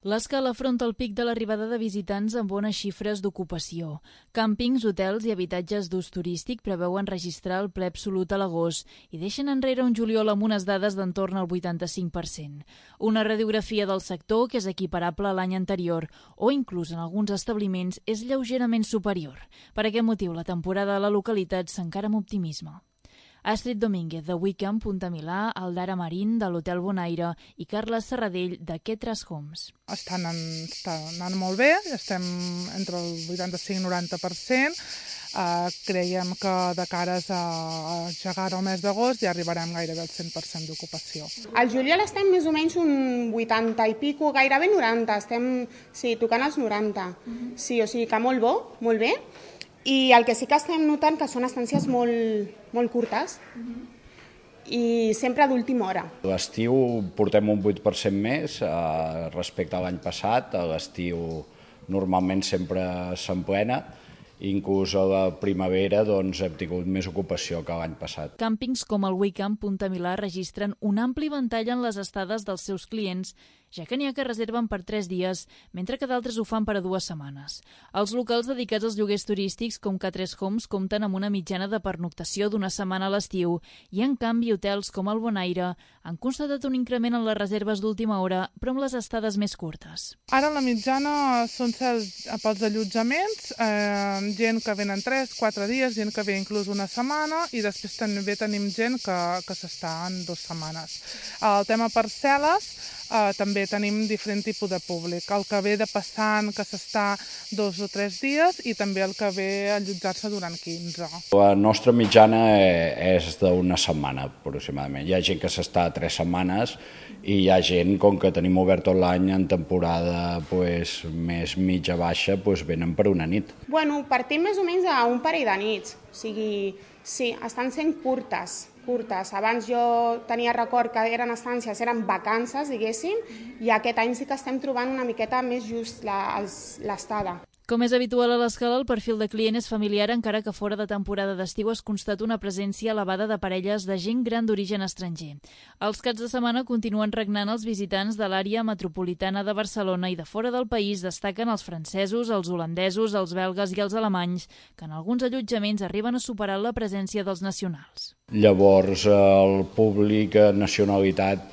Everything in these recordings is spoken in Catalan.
L'Escala afronta el pic de l'arribada de visitants amb bones xifres d'ocupació. Càmpings, hotels i habitatges d'ús turístic preveuen registrar el ple absolut a l'agost i deixen enrere un juliol amb unes dades d'entorn al 85%. Una radiografia del sector que és equiparable a l'any anterior o inclús en alguns establiments és lleugerament superior. Per aquest motiu, la temporada a la localitat s'encara amb optimisme. Astrid Domínguez, de Wickham, Punta Milà, Aldara Marín, de l'Hotel Bonaire i Carles Serradell, de Quetras Homes. Estan anant molt bé, estem entre el 85-90%. Creiem que de cares a llegar al mes d'agost ja arribarem gairebé al 100% d'ocupació. Al juliol estem més o menys un 80 i pico, gairebé 90, estem tocant els 90. Sí, o sigui que molt bo, molt bé. I el que sí que estem notant que són estàncies molt curtes i sempre d'última hora. A l'estiu portem un 8% més respecte a l'any passat. A l'estiu normalment sempre s'emplena. Inclús a la primavera hem tingut més ocupació que l'any passat. Càmpings com el Wickham Punta Milà registren un ampli ventall en les estades dels seus clients, ja que n'hi ha que reserven per 3 dies, mentre que d'altres ho fan per a 2 setmanes. Els locals dedicats als lloguers turístics com Quetras Homes compten amb una mitjana de pernoctació d'1 setmana a l'estiu i, en canvi, hotels com el Bonaire han constatat un increment en les reserves d'última hora, però amb les estades més curtes. Ara la mitjana són pels allotjaments, gent que venen 3-4 dies, gent que ve inclús 1 setmana i després també tenim gent que s'està en 2 setmanes. El tema parcel·les, també tenim diferent tipus de públic. El que ve de passant, que s'està 2 o 3 dies i també el que ve a allotjar-se durant 15. La nostra mitjana és d'1 setmana aproximadament. Hi ha gent que s'està 3 setmanes i hi ha gent, com que tenim obert tot l'any en temporada més mitja-baixa, venen per una nit. Bueno, partim més o menys d'un parell de nits. O sigui, sí, estan sent curtes. Abans jo tenia record que eren estàncies, eren vacances, diguéssim, i aquest any sí que estem trobant una miqueta més just l'estada. Com és habitual a l'Escala, el perfil de client és familiar, encara que fora de temporada d'estiu es constata una presència elevada de parelles de gent gran d'origen estranger. Els caps de setmana continuen regnant els visitants de l'àrea metropolitana de Barcelona i de fora del país destaquen els francesos, els holandesos, els belgues i els alemanys, que en alguns allotjaments arriben a superar la presència dels nacionals. Llavors, el públic nacionalitat,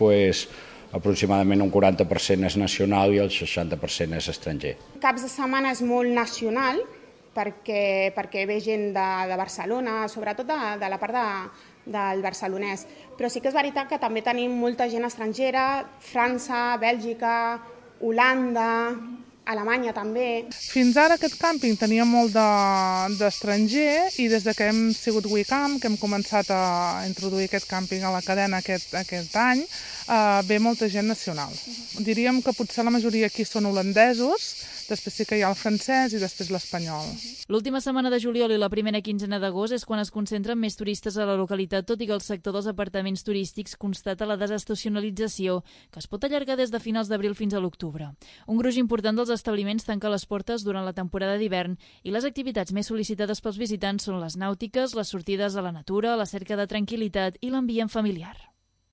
aproximadament un 40% és nacional i el 60% és estranger. Caps de setmana és molt nacional perquè ve gent de Barcelona, sobretot de la part del barcelonès. Però sí que és veritat que també tenim molta gent estrangera, França, Bèlgica, Holanda, Alemanya també. Fins ara aquest càmping tenia molt d'estranger i des que hem sigut Wickham, que hem començat a introduir aquest càmping a la cadena aquest any, ve molta gent nacional. Diríem que potser la majoria aquí són holandesos, després sí que hi ha el francès i després l'espanyol. L'última setmana de juliol i la primera quinzena d'agost és quan es concentren més turistes a la localitat, tot i que el sector dels apartaments turístics constata la desestacionalització, que es pot allargar des de finals d'abril fins a l'octubre. Un gruix important dels establiments tanca les portes durant la temporada d'hivern i les activitats més sol·licitades pels visitants són les nàutiques, les sortides a la natura, la cerca de tranquil·litat i l'ambient familiar.